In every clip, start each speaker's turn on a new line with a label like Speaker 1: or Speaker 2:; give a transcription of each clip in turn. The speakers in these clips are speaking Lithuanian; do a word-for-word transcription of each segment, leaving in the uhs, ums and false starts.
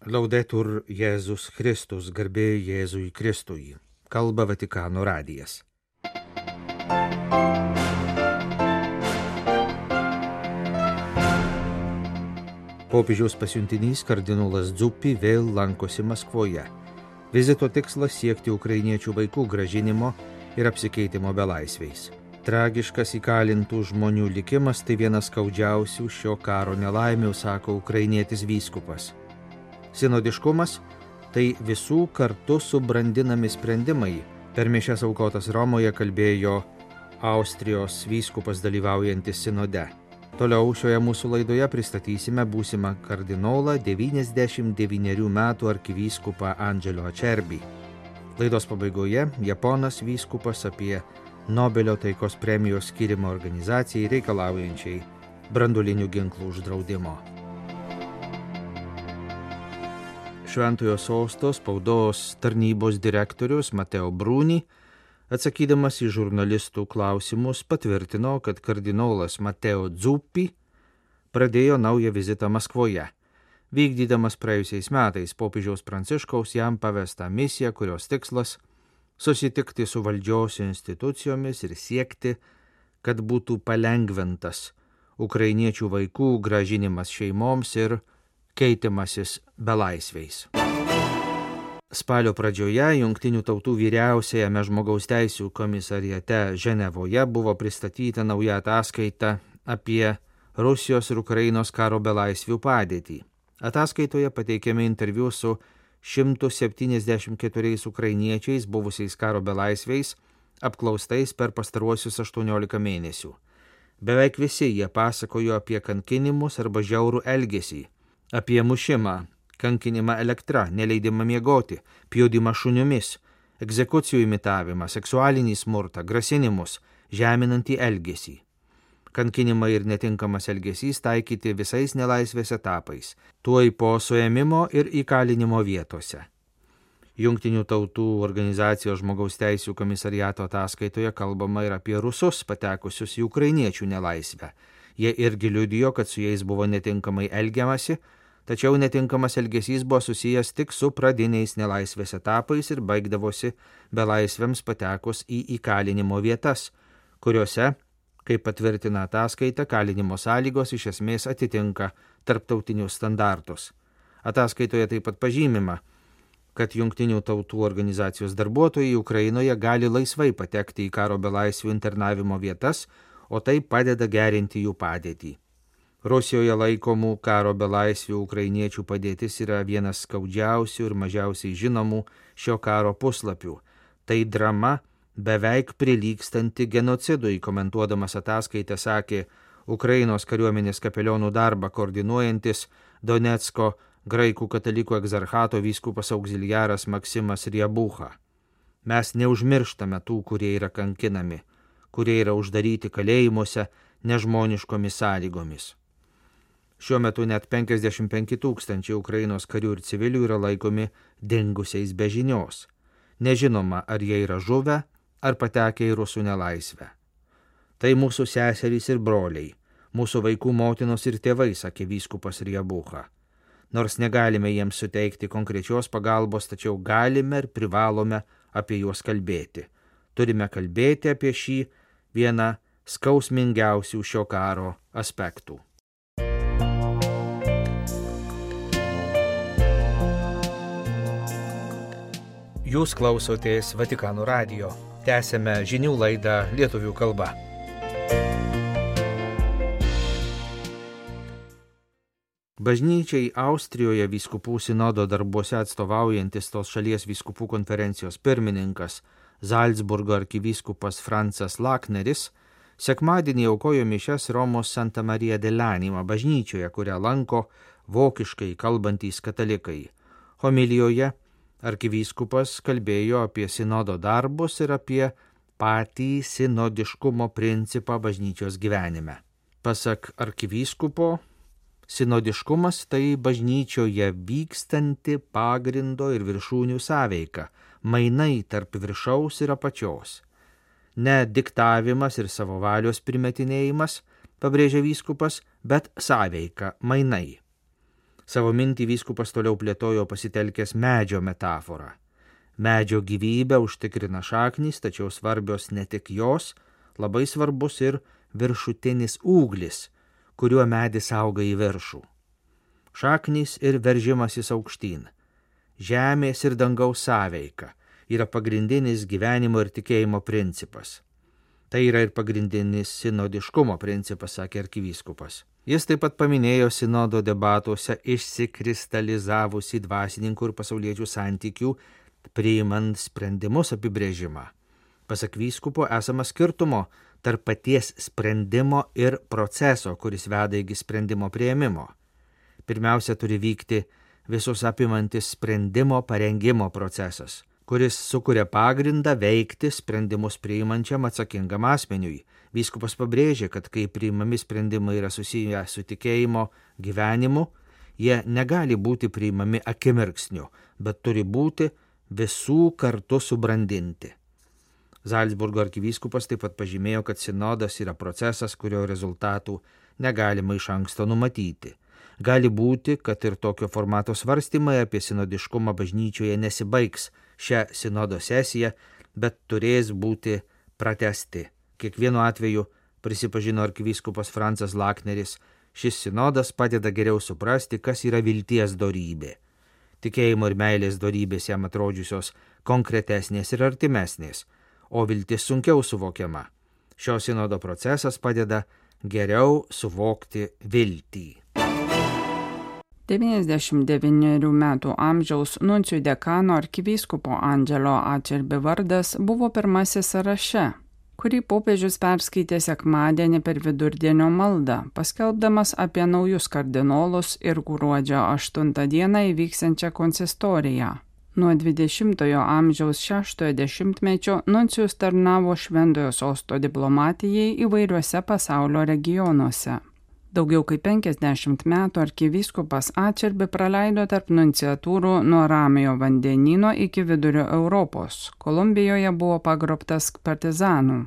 Speaker 1: Laudetur Jėzus Kristus, garbė Jėzui Kristui. Kalba Vatikano radijas. Popiežiaus pasiuntinys kardinolas Zuppi vėl lankosi Maskvoje. Vizito tikslas siekti ukrainiečių vaikų grąžinimo ir apsikeitimo belaisviais. Tragiškas įkalintų žmonių likimas tai vienas skaudžiausių šio karo nelaimių, sako ukrainietis vyskupas. Sinodiškumas – tai visų kartu subrandinami sprendimai. Per mišias aukotas Romoje kalbėjo Austrijos vyskupas dalyvaujantis sinode. Toliau šioje mūsų laidoje pristatysime būsimą kardinolą devyniasdešimt devynerių metų arkivyskupą Angelo Acerbi. Laidos pabaigoje japonas vyskupas apie Nobelio taikos premijos skyrimo organizacijai reikalaujančiai branduolinių ginklų uždraudimo. Šventojo sosto spaudos tarnybos direktorius Mateo Bruni, atsakydamas į žurnalistų klausimus, patvirtino, kad kardinolas Mateo Zuppi pradėjo naują vizitą Maskvoje, vykdydamas praėjusiais metais popiežiaus Pranciškaus jam pavestą misiją, kurios tikslas susitikti su valdžios institucijomis ir siekti, kad būtų palengvintas ukrainiečių vaikų grąžinimas šeimoms ir keitimasis belaisviais. Spalio pradžioje Jungtinių tautų vyriausiajame žmogaus teisių komisariate Ženevoje buvo pristatyta nauja ataskaita apie Rusijos ir Ukrainos karo belaisvių padėtį. Ataskaitoje pateikiami interviu su šimtu septyniasdešimt keturiais ukrainiečiais buvusiais karo belaisviais, apklaustais per pastaruosius aštuoniolika mėnesių. Beveik visi jie pasakojo apie kankinimus arba žiaurų elgesį, apie mušimą, kankinimą elektra, neleidimą miegoti, pjaudimą šunimis, egzekucijų imitavimą, seksualinį smurtą, grasinimus, žeminantį elgesį. Kankinimai ir netinkamas elgesys taikyti visais nelaisvės etapais, tuoj po suėmimo ir įkalinimo vietose. Jungtinių tautų organizacijos žmogaus teisių komisariato ataskaitoje kalbama ir apie rusus patekusius į ukrainiečių nelaisvę. Jie irgi liudijo, kad su jais buvo netinkamai elgiamasi, tačiau netinkamas elgesys buvo susijęs tik su pradiniais nelaisvės etapais ir baigdavosi belaisviams patekus į įkalinimo vietas, kuriuose, kaip patvirtina ataskaita, kalinimo sąlygos iš esmės atitinka tarptautinius standartus. Ataskaitoje taip pat pažymima, kad Jungtinių tautų organizacijos darbuotojai Ukrainoje gali laisvai patekti į karo belaisvių internavimo vietas, o tai padeda gerinti jų padėtį. Rusijoje laikomų karo belaisvių ukrainiečių padėtis yra vienas skaudžiausių ir mažiausiai žinomų šio karo puslapių. Tai drama beveik prilygstanti genocidui, komentuodamas ataskaitę sakė Ukrainos kariuomenės kapelionų darbą koordinuojantis Donecko graikų katalikų egzarchato vyskupas auxiliaras Maksimas Riebucha. Mes neužmirštame tų, kurie yra kankinami, kurie yra uždaryti kalėjimuose nežmoniškomis sąlygomis. Šiuo metu net penkiasdešimt penki tūkstančiai Ukrainos karių ir civilių yra laikomi dingusiais be žinios. Nežinoma, ar jie yra žuvę, ar patekę į rusų nelaisvę. Tai mūsų seserys ir broliai, mūsų vaikų motinos ir tėvai, sakė vyskupas Riebucha. Nors negalime jiems suteikti konkrečios pagalbos, tačiau galime ir privalome apie juos kalbėti. Turime kalbėti apie šį vieną skausmingiausių šio karo aspektų. Jūs klausotės Vatikano radijo. Tęsėme žinių laidą lietuvių kalba. Bažnyčiai Austrijoje vyskupų sinodo darbuose atstovaujantis tos šalies vyskupų konferencijos pirmininkas Zalcburgo arkivyskupas Francas Lakneris sekmadienį aukojo mišias Romos Santa Marija dell'Anima bažnyčioje, kurią lanko vokiškai kalbantys katalikai. Homilijoje arkivyskupas kalbėjo apie sinodo darbus ir apie patį sinodiškumo principą bažnyčios gyvenime. Pasak arkivyskupo, sinodiškumas tai bažnyčioje vykstanti pagrindo ir viršūnių sąveika, mainai tarp viršaus ir apačios. Ne diktavimas ir savo valios primetinėjimas, pabrėžia vyskupas, bet sąveika, mainai. Savo mintį vyskupas toliau plėtojo pasitelkęs medžio metaforą. Medžio gyvybę užtikrina šaknys, tačiau svarbios ne tik jos, labai svarbus ir viršutinis ūglis, kuriuo medis auga į viršų. Šaknys ir veržimasis aukštyn, žemės ir dangaus sąveika yra pagrindinis gyvenimo ir tikėjimo principas. Tai yra ir pagrindinis sinodiškumo principas, sakė arkivyskupas. Jis taip pat paminėjo sinodo debatuose išsikristalizavusi dvasininkų ir pasauliečių santykių priimant sprendimus apibrėžimą. Pasak vyskupo esama skirtumo tarp paties sprendimo ir proceso, kuris veda iki sprendimo priėmimo. Pirmiausia, turi vykti visus apimantis sprendimo parengimo procesas, kuris sukuria pagrindą veikti sprendimus priimančiam atsakingam asmeniui. Vyskupas pabrėžė, kad kai priimami sprendimai yra susiję su tikėjimo gyvenimu, jie negali būti priimami akimirksniu, bet turi būti visų kartu subrandinti. Zalcburgo arkivyskupas taip pat pažymėjo, kad sinodas yra procesas, kurio rezultatų negalima iš anksto numatyti. Gali būti, kad ir tokio formato svarstymai apie sinodiškumą bažnyčioje nesibaigs šią sinodo sesiją, bet turės būti pratęsti. Kiekvienu atveju, prisipažino arkivyskupas Francas Lakneris, šis sinodas padeda geriau suprasti, kas yra vilties dorybė. Tikėjimo ir meilės dorybės jam atrodžiusios konkretesnės ir artimesnės, o viltis sunkiau suvokiama. Šio sinodo procesas padeda geriau suvokti viltį.
Speaker 2: devyniasdešimt devynerių metų amžiaus nuncijų dekano arkivyskupo Angelo Acerbi vardas buvo pirmasis sąraše, kurį popiežius perskaitė sekmadienį per vidurdienio maldą, paskelbdamas apie naujus kardinolus ir gruodžio aštuntą dieną įvyksiančią konsistoriją. Nuo dvidešimtojo amžiaus šeštojo dešimtmečio nuncijus tarnavo Šventojo sosto diplomatijai įvairiuose pasaulio regionuose. Daugiau kaip penkiasdešimt metų arkivyskupas Acerbi praleido tarp nunciatūrų nuo Ramiojo vandenyno iki Vidurio Europos. Kolumbijoje buvo pagrobtas partizanų.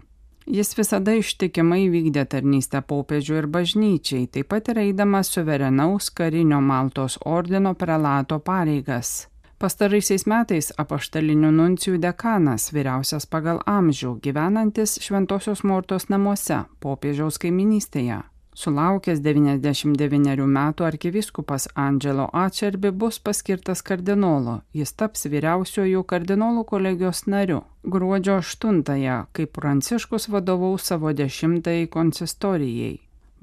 Speaker 2: Jis visada ištikimai vykdė tarnystę popiežiui ir bažnyčiai, taip pat ir eidamas suverenaus karinio Maltos ordino prelato pareigas. Pastaraisiais metais apaštalinių nuncijų dekanas, vyriausias pagal amžių, gyvenantis Šventosios Mortos namuose, popiežiaus kaiminystėje. Sulaukęs devyniasdešimt devynerių metų arkivyskupas Angelo Acerbi bus paskirtas kardinolo. Jis taps vyriausiuoju kardinolų kolegijos nariu. Gruodžio aštuntąją, kai Pranciškus vadovaus savo dešimtajai konsistorijai.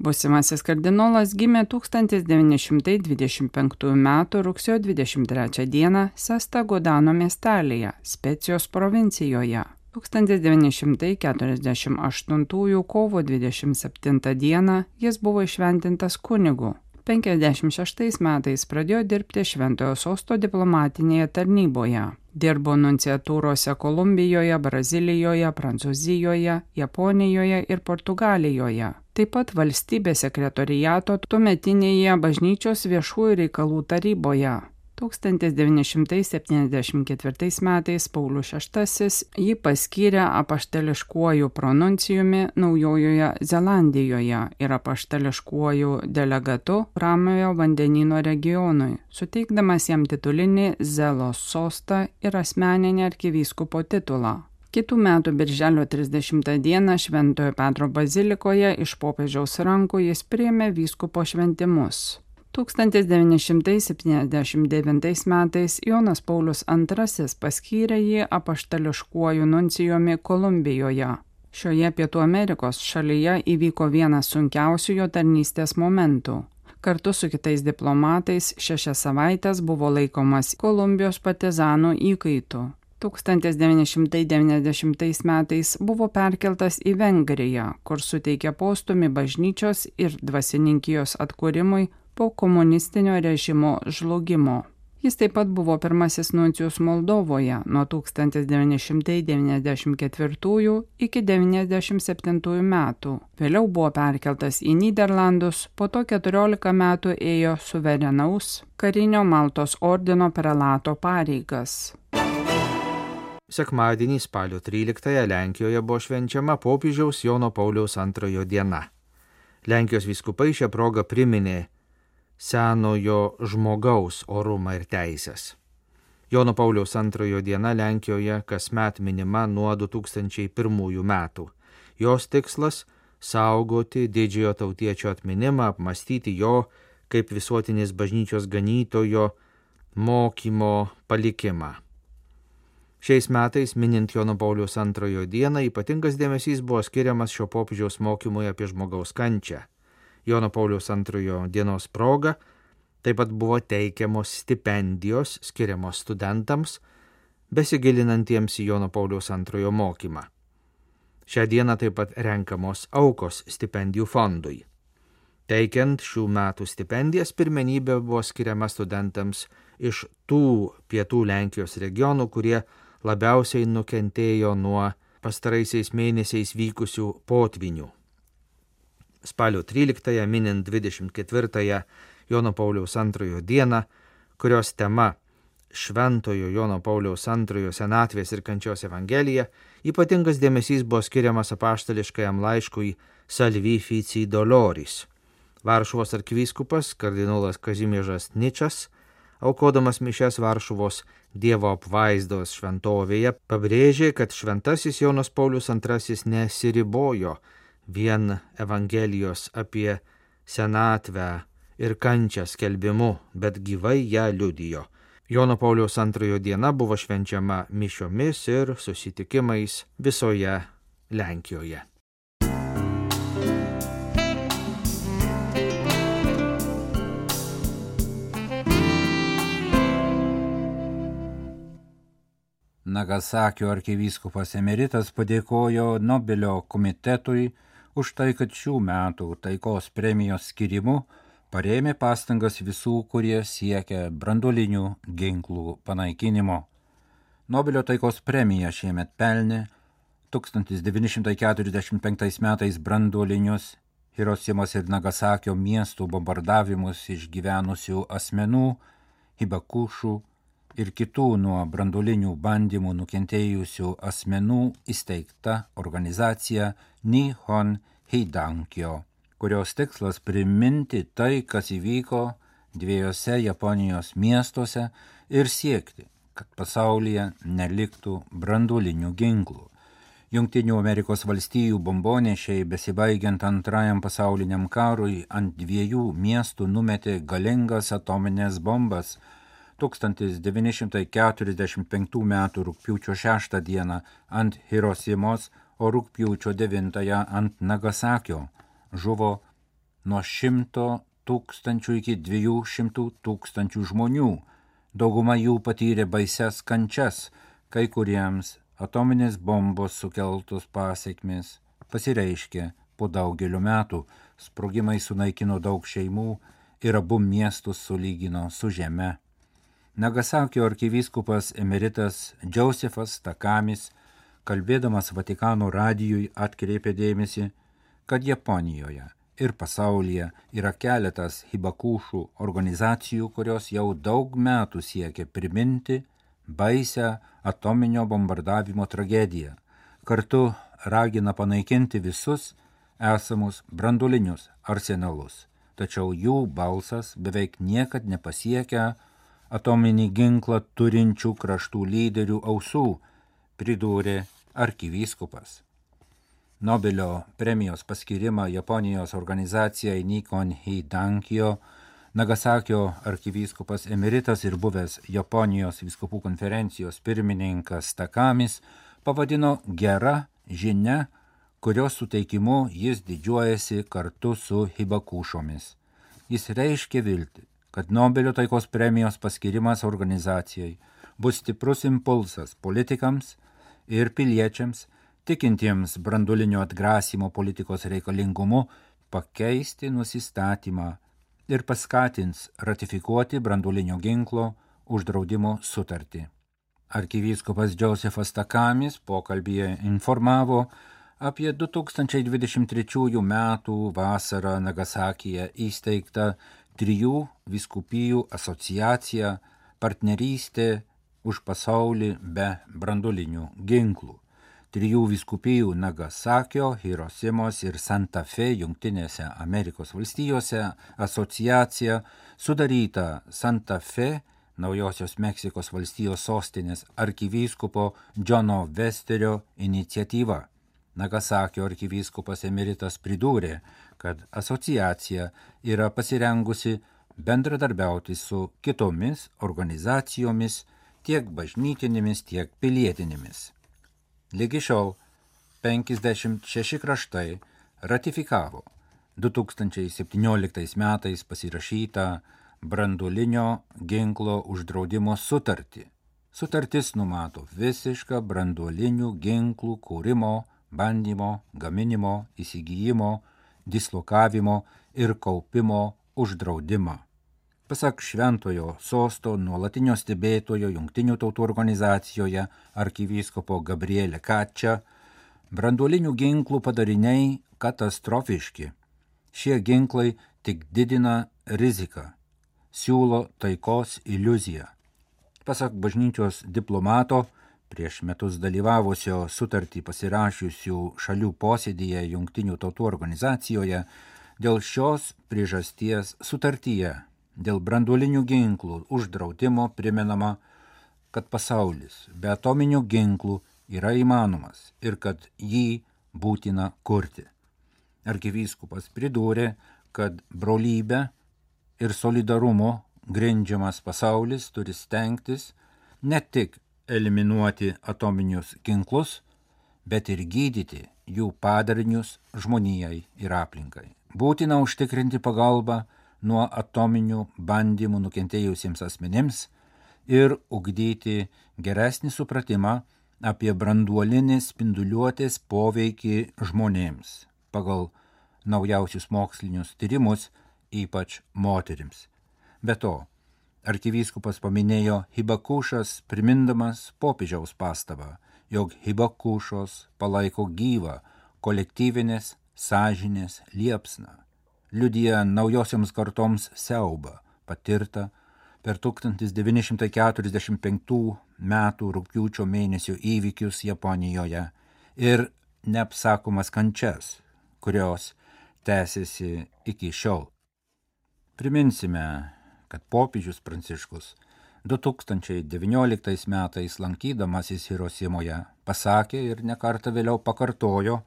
Speaker 2: Būsimasis kardinolas gimė tūkstantis devyni šimtai dvidešimt penktųjų metų rugsėjo dvidešimt trečią dieną Sesta Godano miestelyje, Specijos provincijoje. tūkstantis devyni šimtai keturiasdešimt aštuntųjų kovo dvidešimt septintą dieną jis buvo įšventintas kunigu. penkiasdešimt šeštais metais pradėjo dirbti Šventojo sosto diplomatinėje tarnyboje. Dirbo nunciatūrose Kolumbijoje, Brazilijoje, Prancūzijoje, Japonijoje ir Portugalijoje. Taip pat valstybės sekretoriato tuometinėje bažnyčios viešųjų reikalų taryboje. tūkstantis devyni šimtai septyniasdešimt ketvirtais metais Paulius šeštasis jį paskyrė apaštališkuoju pronuncijumi Naujojoje Zelandijoje ir apaštališkuoju delegatu Ramiojo vandenyno regionui, suteikdamas jam titulinį Zelos sostą ir asmeninį arkivyskupo titulą. Kitų metų birželio trisdešimtą dieną Šventojo Petro bazilikoje iš popiežiaus rankų jis priėmė vyskupo šventimus. tūkstantis devyni šimtai septyniasdešimt devintais metais Jonas Paulius antrasis paskyrė jį apaštališkuoju nuncijumi Kolumbijoje. Šioje Pietų Amerikos šalyje įvyko vienas sunkiausių jo tarnystės momentų. Kartu su kitais diplomatais šešias savaitės buvo laikomas Kolumbijos partizanų įkaitu. tūkstantis devyni šimtai devyniasdešimtais metais buvo perkeltas į Vengriją, kur suteikė postūmį bažnyčios ir dvasininkijos atkūrimui po komunistinio režimo žlugimo. Jis taip pat buvo pirmasis nuncijus Moldovoje nuo tūkstantis devyni šimtai devyniasdešimt ketvirtųjų iki devyniasdešimt septintųjų metų. Vėliau buvo perkeltas į Nyderlandus, po to keturiolika metų ėjo suverenaus karinio Maltos ordino prelato pareigas.
Speaker 1: Sekmadienį spalio tryliktąją Lenkijoje buvo švenčiama popiežiaus Jono Pauliaus antrojo diena. Lenkijos vyskupai šią progą priminė senojo žmogaus orumą ir teisės. Jono Pauliaus antrojo diena Lenkijoje kasmet minima nuo du tūkstančiai pirmųjų metų. Jos tikslas – saugoti didžiojo tautiečio atminimą, apmastyti jo kaip visuotinės bažnyčios ganytojo mokymo palikimą. Šiais metais, minint Jono Pauliaus antrojo dieną, ypatingas dėmesys buvo skiriamas šio popiežiaus mokymui apie žmogaus kančią. Jono Pauliaus antrojo dienos proga taip pat buvo teikiamos stipendijos skiriamos studentams, besigilinantiems į Jono Pauliaus antrojo mokymą. Šią dieną taip pat renkamos aukos stipendijų fondui. Teikiant šių metų stipendijas, pirmenybė buvo skiriama studentams iš tų pietų Lenkijos regionų, kurie labiausiai nukentėjo nuo pastaraisiais mėnesiais vykusių potvinių. Spalio tryliktąją, minint dvidešimt ketvirtąją Jono Pauliaus antrojo dieną, kurios tema Šventojo Jono Pauliaus antrojo senatvės ir kančios evangelija, ypatingas dėmesys buvo skiriamas apaštališkajam laiškui Salvi Fici Doloris. Varšuvos arkivyskupas kardinolas Kazimiežas Ničas, aukodamas mišias Varšuvos Dievo apvaizdos šventovėje, pabrėžė, kad šventasis Jonas Paulius antrasis nesiribojo vien evangelijos apie senatvę ir kančią skelbimu, bet gyvai ją liudijo. Jono Pauliaus antrojo diena buvo švenčiama mišiomis ir susitikimais visoje Lenkijoje.
Speaker 3: Nagasakio arkivyskupas emeritas padėkojo Nobelio komitetui už tai, kad šių metų taikos premijos skirimu parėmė pastangas visų, kurie siekia branduolinių ginklų panaikinimo. Nobelio taikos premiją šiemet pelnė tūkstantis devyni šimtai keturiasdešimt penktais metais branduolinius Hirošimos ir Nagasakio miestų bombardavimus išgyvenusių asmenų, Hibakušų ir kitų nuo branduolinių bandymų nukentėjusių asmenų įsteigta organizacija Nihon Hidankyo, kurios tikslas priminti tai, kas įvyko dviejose Japonijos miestuose ir siekti, kad pasaulyje neliktų branduolinių ginklų. Jungtinių Amerikos valstijų bombonešiai besibaigiant antrajam pasauliniam karui ant dviejų miestų numetė galingas atominės bombas tūkstantis devyni šimtai keturiasdešimt penktų metų rugpjūčio šeštą dieną ant Hirošimos, o rugpjūčio devintąją ant Nagasakio. Žuvo nuo šimto tūkstančių iki dviejų šimtų tūkstančių žmonių. Dauguma jų patyrė baises kančias, kai kuriems atominės bombos sukeltos pasekmės pasireiškė po daugelio metų. Sprogimai sunaikino daug šeimų ir abu miestus sulygino su žeme. Nagasakio arkivyskupas emeritas Džozefas Takamis, kalbėdamas Vatikano radijui, atkreipė dėmesį, kad Japonijoje ir pasaulyje yra keletas Hibakušų organizacijų, kurios jau daug metų siekia priminti baisią atominio bombardavimo tragediją. Kartu ragina panaikinti visus esamus branduolinius arsenalus, tačiau jų balsas beveik niekad nepasiekia atominį ginklą turinčių kraštų lyderių ausų, pridūrė arkivyskupas. Nobelio premijos paskirimą Japonijos organizacijai Nihon Hidankyo Nagasakio arkivyskupas emeritas ir buvęs Japonijos vyskupų konferencijos pirmininkas Takamis pavadino gera žinia, kurios suteikimu jis didžiuojasi kartu su Hibakušomis. Jis reiškia viltį, kad Nobelio taikos premijos paskirimas organizacijai bus stiprus impulsas politikams ir piliečiams, tikintiems branduolinio atgrasymo politikos reikalingumu, pakeisti nusistatymą ir paskatins ratifikuoti branduolinio ginklo uždraudimo sutartį. Arkivyskupas Džozefas Takamis pokalbyje informavo apie du tūkstančiai dvidešimt trečiųjų metų vasarą Nagasakyje įsteigtą trijų vyskupijų asociaciją partnerystė už pasaulį be branduolinių ginklų. trijų vyskupijų Nagasakio, Hirosimos ir Santa Fe Jungtinėse Amerikos valstijose asociacija sudaryta Santa Fe, Naujosios Meksikos valstijos sostinės arkivyskupo Džono Vesterio iniciatyva. Nagasakio arkivyskupas emeritas pridūrė, kad asociacija yra pasirengusi bendradarbiauti su kitomis organizacijomis, tiek bažnytinėmis, tiek pilietinėmis. Lygi šiol penkiasdešimt šeši kraštai ratifikavo du tūkstančiai septynioliktais metais pasirašytą branduolinio ginklo uždraudimo sutartį. Sutartis numato visišką branduolinių ginklų kūrimo, bandymo, gaminimo, įsigijimo, dislokavimo ir kaupimo uždraudimą. Pasak Šventojo Sosto nuolatinio stebėtojo Jungtinių tautų organizacijoje arkivyskupo Gabrielė Kačia, branduolinių ginklų padariniai katastrofiški. Šie ginklai tik didina riziką, siūlo taikos iliuziją. Pasak bažnyčios diplomato, prieš metus dalyvavusio sutartį pasirašiusių šalių posėdyje Jungtinių tautų organizacijoje, dėl šios priežasties sutartyje dėl branduolinių ginklų uždraudimo primenama, kad pasaulis be atominių ginklų yra įmanomas ir kad jį būtina kurti. Arkivyskupas pridūrė, kad brolybė ir solidarumo grindžiamas pasaulis turi stengtis ne tik eliminuoti atominius ginklus, bet ir gydyti jų padarinius žmonijai ir aplinkai. Būtina užtikrinti pagalbą nuo atominių bandymų nukentėjusiems asmenims ir ugdyti geresnį supratimą apie branduolinės spinduliuotės poveikį žmonėms pagal naujausius mokslinius tyrimus, ypač moterims. Be to, arkivyskupas paminėjo Hibakušas, primindamas popiežiaus pastabą, jog Hibakušos palaiko gyvą kolektyvinės sąžinės liepsną, liudija naujosioms kartoms siaubą patirtą per tūkstantis devyni šimtai keturiasdešimt penktų metų rugpjūčio mėnesio įvykius Japonijoje ir neapsakomas kančias, kurios tęsiasi iki šiol. Priminsime, kad popiežius Pranciškus du tūkstančiai devynioliktais metais lankydamasis Hirosimoje pasakė ir nekartą vėliau pakartojo,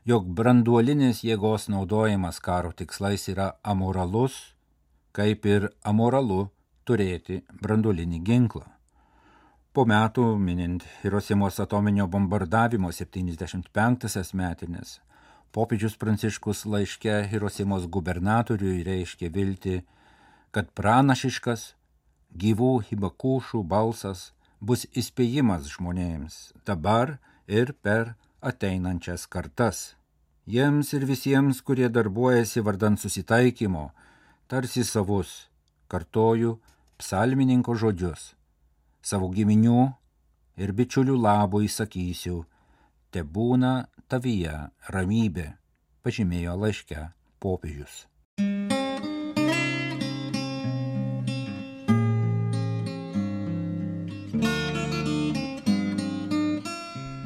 Speaker 3: jog branduolinės jėgos naudojimas karo tikslais yra amoralus, kaip ir amoralu turėti branduolinį ginklą. Po metų, minint Hirosimos atominio bombardavimo septyniasdešimt penktąsias metinės, popiežius Pranciškus laiške Hirosimos gubernatoriui reiškė viltį, kad pranašiškas gyvų Hibakušų balsas bus įspėjimas žmonėms dabar ir per ateinančias kartas. Jiems ir visiems, kurie darbuojasi vardan susitaikymo, tarsi savus, kartoju psalmininko žodžius, savo giminių ir bičiulių labui sakysiu, tebūna tavyje ramybė, pažymėjo laiške popiežius.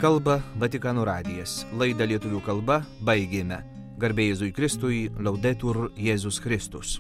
Speaker 1: Kalba Vatikano radijas. Laidą lietuvių kalba baigėme. Garbė Jėzui Kristui, Laudetur Jėzus Kristus.